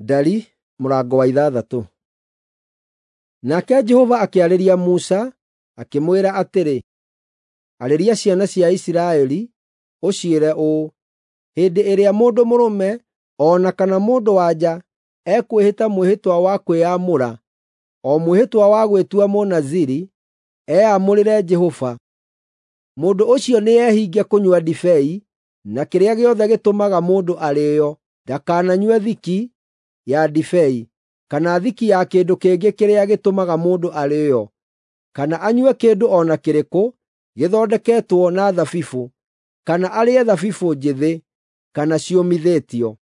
Ndari mũrango wa 6. Nake Jehova akĩarĩria Musa, akĩmwĩra atĩrĩ, Arĩria ciana cia Isiraeli, ũciĩre ũũ: Hĩndĩ ĩrĩa mũndũ mũrũme o na kana mũndũ-wa-nja ekwĩhĩta mwĩhĩtwa wa kwĩyamũra, o mwĩhĩtwa wa gwĩtua Mũnaziri, eamũrĩre Jehova, mũndũ ũcio nĩehinge kũnyua ndibei, na kĩrĩa gĩothe gĩtũmaga mũndũ arĩĩo, ndakananyue thiki ya ndibei, kana thiki ya kĩndũ kĩngĩ kĩrĩa gĩtũmaga mũndũ arĩĩo, kana anyue kĩndũ o na kĩrĩkũ gĩthondeketwo na thabibũ, kana arĩe thabibũ njĩthĩ, kana ciũmithĩtio.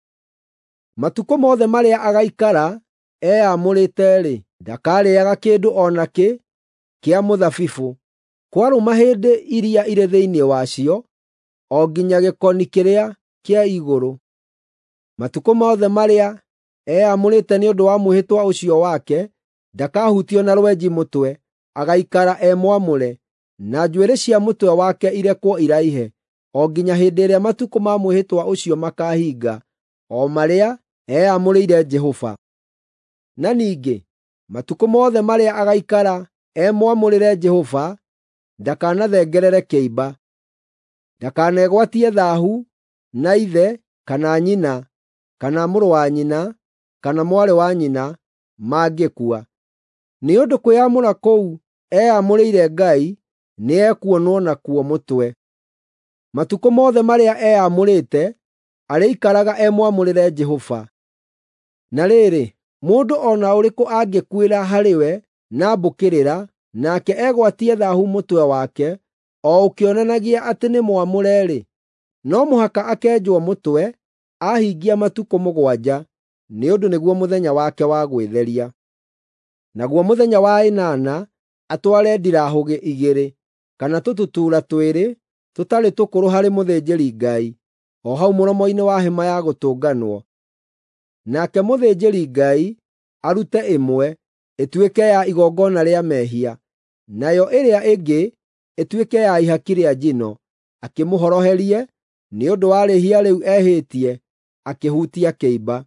Matukũ mothe marĩa agaikara eamũrĩte-rĩ, ndakarĩĩaga kĩndũ o nakĩ kĩa mũthabibũ, kwarũma hĩndĩ iria irĩ thĩinĩ wacio, o nginya gĩkoni kĩrĩa kĩa igũrũ. Matukũ mothe marĩa eamũrĩte nĩ ũndũ wa mwĩhĩtwa ũcio wake, ndakahutio na rwenji mũtwe, agaikara e mwamũre, na njuĩrĩ cia mũtwe wake irekwo iraihe, o nginya hĩndĩ ĩrĩa matukũ ma mwĩhĩtwa ũcio makaahinga, o marĩa eamũrĩire Jehova. Na ningĩ, matukũ mothe marĩa agaikara e mwamũrĩre Jehova, ndakanathengerere kĩimba. Ndakanegwatie thaahu na ithe kana nyina, kana mũrũ wa nyina, kana mwarĩ wa nyina mangĩkua. Nĩ ũndũ kwĩyamũra kũu eamũrĩire Ngai nĩekuonwo nakuo mũtwe. Matukũ mothe marĩa eamũrĩte arĩikaraga e mwamũrĩre Jehova. Na rĩrĩ, mũndũ o na ũrĩkũ angĩkuĩra harĩ we na mbũkĩrĩra, nake egwatie thaahu mũtwe wake, o ũkĩonanagia atĩ nĩ mwamũre-rĩ, no mũhaka akenjwo mũtwe ahingia matukũ 7, nĩ ũndũ nĩguo mũthenya wake wa gwĩtheria. Naguo mũthenya wa 8 atware ndirahũgĩ 2 kana tũtutuura 2 tũtarĩ tũkũrũ harĩ mũthĩnjĩri-Ngai, o hau mũromo-inĩ wa hema ya gũtũnganwo. Nake mũthĩnjĩri-Ngai arute ĩmwe ĩtuĩke ya igongona rĩa mehia, nayo ĩrĩa ĩngĩ ĩtuĩke ya ihaki rĩa njino, akĩmũhoroherie nĩ ũndũ wa rĩĩhia rĩu ehĩtie akĩhutia kĩimba.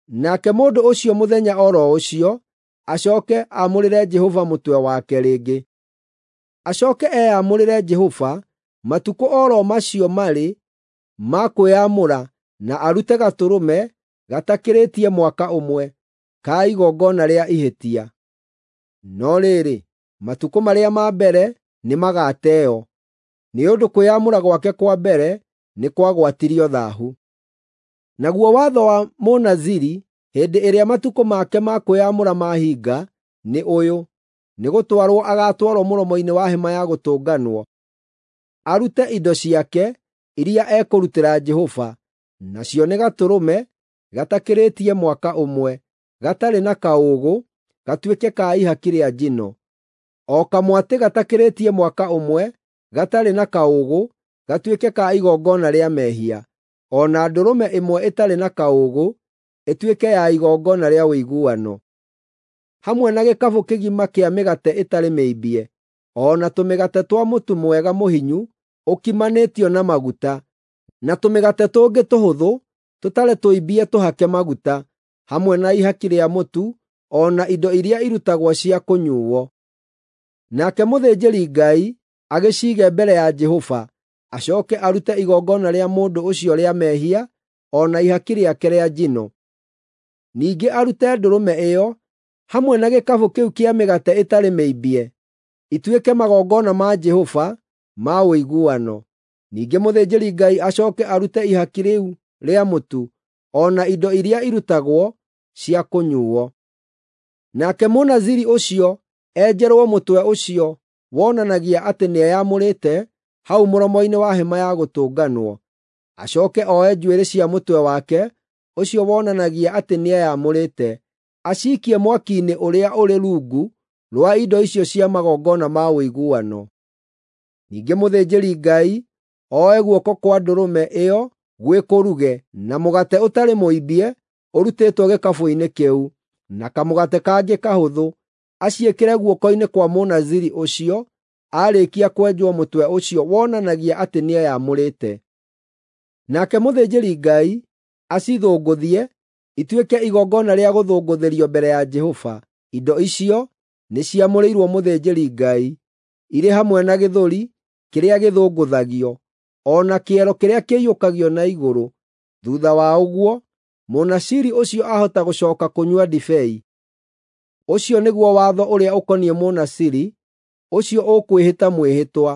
Nake mũndũ ũcio mũthenya o ro ũcio acooke aamũrĩre Jehova mũtwe wake rĩngĩ. Acooke eamũrĩre Jehova matukũ o ro macio marĩ ma kwĩyamũra na arute gatũrũme gatakĩrĩtie mwaka ũmwe, ka igongona rĩa ihĩtia. No rĩrĩ, matukũ marĩa ma mbere nĩmagateo, nĩ ũndũ kwĩyamũra gwake kwa mbere nĩ kwagwatirio thaahu. Naguo watho wa Mũnaziri hĩndĩ ĩrĩa matukũ make ma kwĩyamũra mahinga nĩ ũyũ: nĩgũtwarwo agaatwarwo mũromo-inĩ wa hema ya gũtũnganwo, arute indo ciake iria ekũrutĩra Jehova, nacio nĩ gatũrũme gatakĩrĩtie mwaka ũmwe, gatarĩ na kaũũgũ, gatuĩke ka ihaki rĩa njino, o kamwatĩ gatakĩrĩtie mwaka ũmwe, gatarĩ na kaũũgũ, gatuĩke ka igongona rĩa mehia, o na ndũrũme ĩmwe ĩtarĩ na kaũũgũ ĩtuĩke ya igongona rĩa ũiguano, hamwe na gĩkabũ kĩgima kĩa mĩgate ĩtarĩ mĩimbie, o na tũmĩgate twa mũtu mwega mũhinyu ũkimanĩtio na maguta, na tũmĩgate tũngĩ tũhũthũ tũtarĩ tũimbie tũhake maguta, hamwe na ihaki rĩa mũtu o na indo iria irutagwo cia kũnyuuo. Nake mũthĩnjĩri-Ngai agĩciige mbere ya Jehova, acooke arute igongona rĩa mũndũ ũcio rĩa mehia o na ihaki rĩake rĩa njino. Ningĩ arute ndũrũme ĩyo hamwe na gĩkabũ kĩu kĩa mĩgate ĩtarĩ mĩimbie, ituĩke magongona ma Jehova ma ũiguano. Ningĩ mũthĩnjĩri-Ngai acooke arute ihaki rĩu rĩa mũtu o na indo iria irutagwo cia kũnyuuo. Nake Mũnaziri ũcio enjerwo mũtwe ũcio wonanagia atĩ nĩeyamũrĩte hau mũromo-inĩ wa hema ya gũtũnganwo. Acooke oe njuĩrĩ cia mũtwe wake ũcio wonanagia atĩ nĩeyamũrĩte, aciikie mwaki-inĩ ũrĩa ũrĩ rungu rwa indo icio cia magongona ma ũiguano. Ningĩ mũthĩnjĩri-Ngai oe guoko kwa ndũrũme ĩyo gwĩ kũruge, na mũgate ũtarĩ mũimbie ũrutĩtwo gĩkabũ-inĩ kĩu, na kamũgate kangĩ kahũthũ, aciĩkĩre guoko-inĩ kwa Mũnaziri ũcio aarĩkia kwenjwo mũtwe ũcio wonanagia atĩ nĩeyamũrĩte. Nake mũthĩnjĩri-Ngai acithũngũthie ituĩke igongona rĩa gũthũngũthĩrio mbere ya Jehova. Indo icio nĩciamũrĩirwo mũthĩnjĩri-Ngai, irĩ hamwe na gĩthũri kĩrĩa gĩthũngũthagio, o na kĩero kĩrĩa kĩiyũkagio na igũrũ. Thuutha wa ũguo, Mũnasiri ũcio ahota gũcooka kũnyua ndibei. Ũcio nĩguo watho ũrĩa ũkoniĩ Mũnasiri ũcio ũkwĩhĩta mwĩhĩtwa,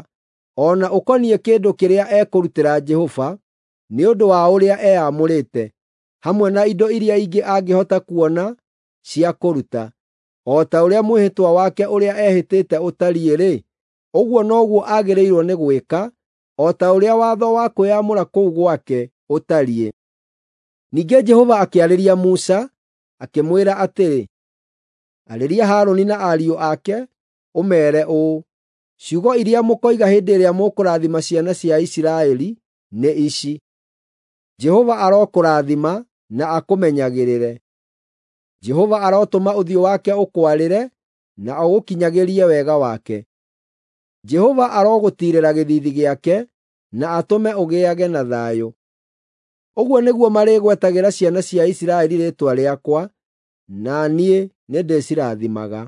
o na ũkoniĩ kĩndũ kĩrĩa ekũrutĩra Jehova nĩ ũndũ wa ũrĩa eamũrĩte, hamwe na indo iria ingĩ angĩhota kuona cia kũruta. O ta ũrĩa mwĩhĩtwa wake ũrĩa ehĩtĩte ũtariĩ-rĩ, ũguo noguo agĩrĩirwo nĩ gwĩka, o ta ũrĩa watho wa kwĩyamũra kũu gwake ũtariĩ. Ningĩ Jehova akĩarĩria Musa, akĩmwĩra atĩrĩ, Arĩria Harũni na ariũ ake, ũmeere ũũ: Ciugo iria mũkoiga hĩndĩ ĩrĩa mũkũrathima ciana cia Isiraeli nĩ ici: Jehova arokũrathima na akũmenyagĩrĩre. Jehova arotũma ũthiũ wake ũkwarĩre na ũgũkinyagĩrie wega wake. Jehova arogũtiirĩra gĩthiithi gĩake na atũme ũgĩage na thayũ. Ũguo nĩguo marĩgwetagĩra ciana cia Isiraeli rĩĩtwa rĩakwa, na niĩ nĩndĩcirathimaga.